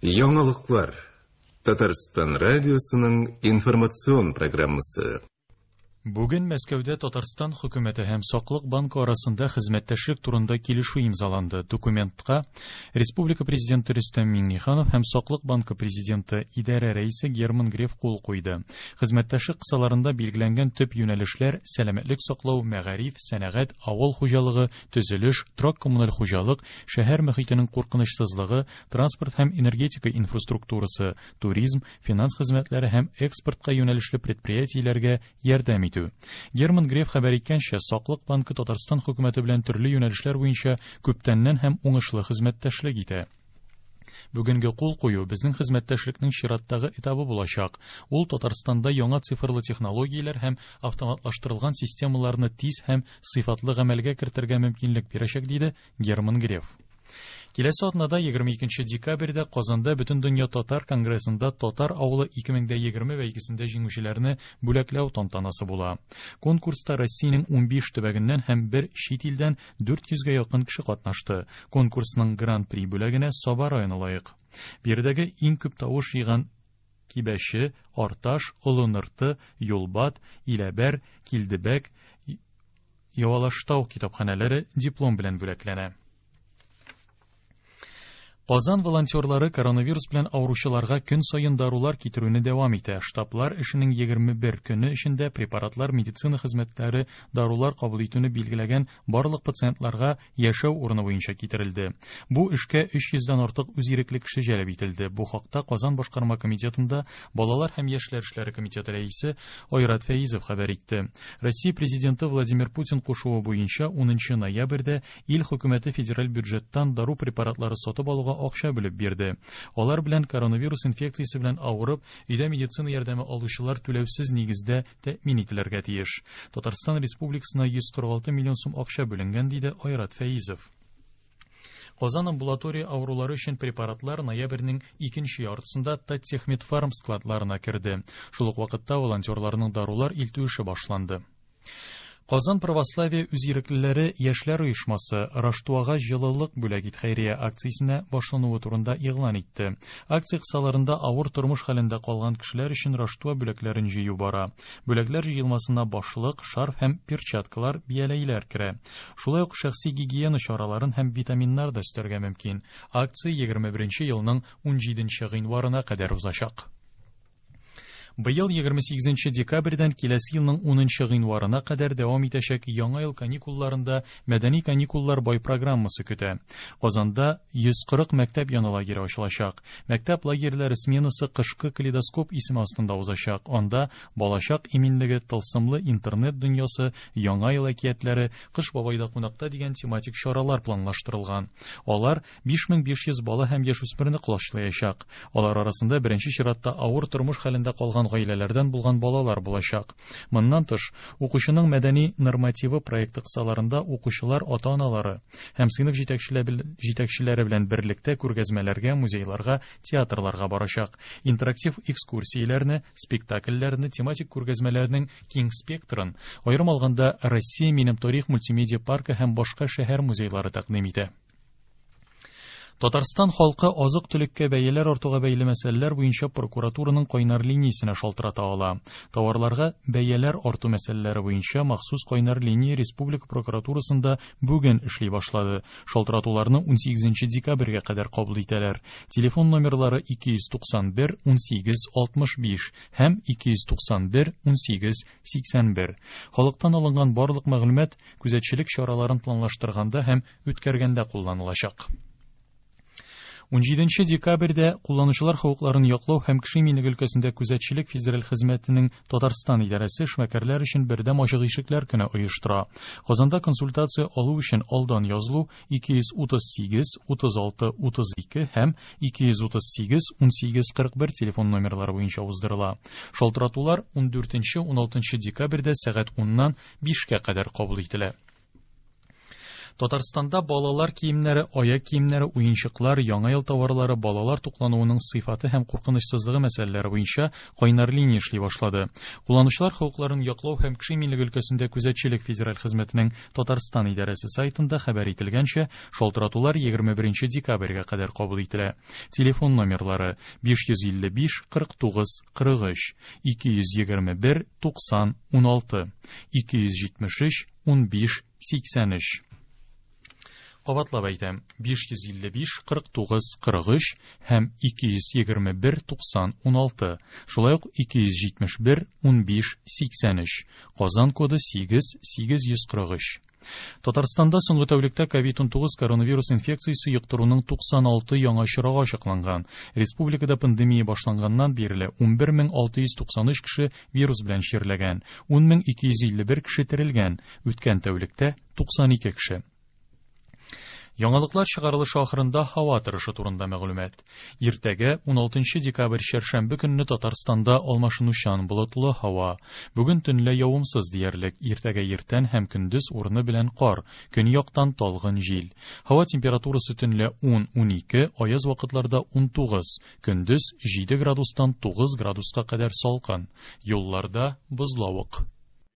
Яңалыклар. Татарстан радиосының информацион программасы. Бүген Мәскәүдә Татарстан хөкүмәте һәм Саклык банкы арасында хезмәттәшлек турында килешү имзаланды. Документка Республика президенты Рөстәм Миңнеханов һәм Саклык банкы президенты идарә рәисе Герман Греф кул куйды. Хезмәттәшлек кысаларында билгеләнгән төп юнәлешләр сәламәтлек саклау, мәгариф, сәнәгать, авыл хуҗалыгы, төзелеш, торак-коммуналь хуҗалык, шәһәр мөхитенең куркынычсызлыгы, транспорт һәм энергетика инфраструктурасы, туризм, финанс хезмәтләре һәм экспортка юнәлешле предприятиеләргә ярдәм итү. Герман Греф хәбәр иткәнчә, Саклык банкы Татарстан хөкүмәте белән төрле юнәлешләр буенча күптәннән һәм уңышлы хезмәттәшлек итә. Бүгенге кул кую безнең хезмәттәшлекнең чираттагы этабы булачак. Ул Татарстанда яңа цифрлы технологияләр һәм автоматлаштырылган системаларны тиз һәм сыйфатлы гамәлгә кертергә мөмкинлек бирәчәк, диде Герман Греф. Киләсе атнада 22 декабрьдә Казанда Бөтендөнья татар конгрессында Татар авылы 2020 бәйгесендә җиңүчеләрне бүләкләү тантанасы була. Конкурста Россиянең 15 төбәгеннән һәм бер чит илдән 400 гә якын кеше катнашты. Конкурсның Гран-при бүләгенә Саба районы лаек. Биредәге иң күп тавыш җыйган Кибәче, Арташ, Олы Нырты, Юлбат, Иләбәр, Килдебәк, Явалаштау китапханәләре диплом белән бүләкләнә. Казан волонтерлары коронавирус белән авыручыларга көн саен дарулар китерүне дәвам итә. Штаблар эшенең 21 көне эчендә препаратлар, медицина хезмәтләре, дарулар кабул итүне билгеләгән барлык пациентларга яшәү урыны буенча китерелде. Бу эшкә 300 дән артык үзирекле кеше җәлеп ителде. Бу хакта Казан башкарма комитетында Балалар һәм яшьләр эшләре комитеты рәисе Айрат Фәизов хәбәр итте. Россия Президенты Владимир Путин кушуы буенча 10 ноябрьдә Ил хөкүмәте федераль бюджеттан дару препаратлары сатып алуга акча бүлеп бирде. Алар белән коронавирус инфекциясе белән авырып, өйдә медицина ярдәме алучылар түләүсез нигездә тәэмин ителергә тиеш. Татарстан Республикасына 146 миллион сум акча бүленгән, диде Айрат Фәизов. Казан амбулатория авырулары өчен препаратлар ноябрьнең икенче яртысында Таттехмедфарм складларына керде. Шул ук вакытта волонтерларның дарулар илтү эше башланды. Казан православие үзиреклеләре яшьләр оешмасы Раштуага җылылык бүләк ит хәйрия акциясенә башлануы турында игълан итте. Акция кысаларында авыр тормыш хәлендә калган кешеләр өчен Раштуа бүләкләрен җыю бара. Бүләкләр җыелмасына башлык, шарф һәм перчаткалар, бияләйләр керә. Шулай ук шәхси гигиена чараларын һәм витаминнар да өстәргә мөмкин. Акция 21 елның 17 гыйнварына кадәр узачак. Быел 28 декабрьдән киләсе елның 10 гыйнварына кадәр дәвам итәчәк Яңа ел каникулларында мәдәни каникуллар бай программасы көтә. Казанда 140 мәктәп яны лагере ачылачак. Мәктәп лагерьләре сменасы Кышкы калейдоскоп исеме астында узачак. Анда балачак иминлеге, тылсымлы интернет дөньясы, Яңа ел әкиятләре, Кыш бабайда кунакта дигән тематик чаралар планлаштырылган. Алар 5500 бала һәм яшүсмерне колачлаячак. Алар арасында беренче чиратта авыр тормыш хәлендә калган гаиләләрдән булган балалар булачак. Моннан тыш, укучының мәдәни нормативы проекты кысаларында укучылар ата-аналары һәм сыйныф җитәкчеләре белән берлектә күргәзмәләргә, музейларга, театрларга барачак. Интерактив экскурсияләрне, спектакльләрне, тематик күргәзмәләрнең киң спектрын, аерым алганда, Россия минем тарих мультимедиа паркы һәм башка шәһәр музейлары тәкъдим итә. Татарстан халкы азык-төлеккә бәяләр артуга бәйле мәсьәләләр буенча прокуратураның кайнар линиясенә шалтырата ала. Товарларга бәяләр арту мәсьәләләре буенча махсус кайнар линия республика прокуратурасында бүген эшли башлады. Шалтыратуларны 18 декабрьгә кадәр кабул итәләр. Телефон номерлары 291 18 65 һәм 291 18 81. Халыктан алынган барлык мәгълүмат күзәтчелек чараларын планлаштырганда һәм үткәргәндә кулланылачак. 17 декабрьдә кулланучылар хокукларын яклау һәм кеше иминлеге өлкәсендә күзәтчелек федераль хезмәтенең Татарстан идарәсе эшмәкәрләр өчен бердәм ачык ишекләр көне оештыра. Казанда консультация алу өчен алдан язылу 238 36 32 һәм 238 18 41 телефон номерлары буенча уздырыла. Шалтыратулар 14-16 декабрьдә сәгать 10-нан 5-кә кадәр кабул ителә. Татарстанда балалар киемнәре, аяк киемнәре, уенчыклар, яңа ел товарлары, балалар туклануының сыйфаты һәм куркынычсызлыгы мәсьәләләре буенча кайнар линия эшли башлады. Кулланучылар хокукларын яклау һәм кеше иминлеге өлкәсендә күзәтчелек федераль хезмәтенең Татарстан идарәсе сайтында хәбәр ителгәнчә, шалтыратулар 21 декабрьгә кадәр кабул ителә. Телефон номерлары 555 49 43, 221 90 16, 273 15 83. Кабатлап әйтәм, 555 49 43 һәм 221 90 16, шулай ук 271 15 83, Казан коды 8 843. Татарстанда соңгы тәүлектә COVID-19 коронавирус инфекциясе йоктыруның 96 яңа очрагы ачыкланган. Республикада пандемия башланганнан бирле 11693 кеше вирус белән чирләгән, 10251 кеше терелгән, үткән тәүлектә 92 кеше. Яңалыклар чыгарылышы ахырында һава торышы турында мәгълүмат. Иртәгә 16 декабрь чәршәмбе көнне Татарстанда алмашынучан болытлы һава. Бүген төнлә явымсыз диярлек. Иртәгә иртән һәм көндез урыны белән кар, көньяктан талгын җил. Һава температурасы төнлә 10-12, аяз вакытларда 19, көндез 7 градустан 9 градуска кадәр салкын. Юлларда бозлавык.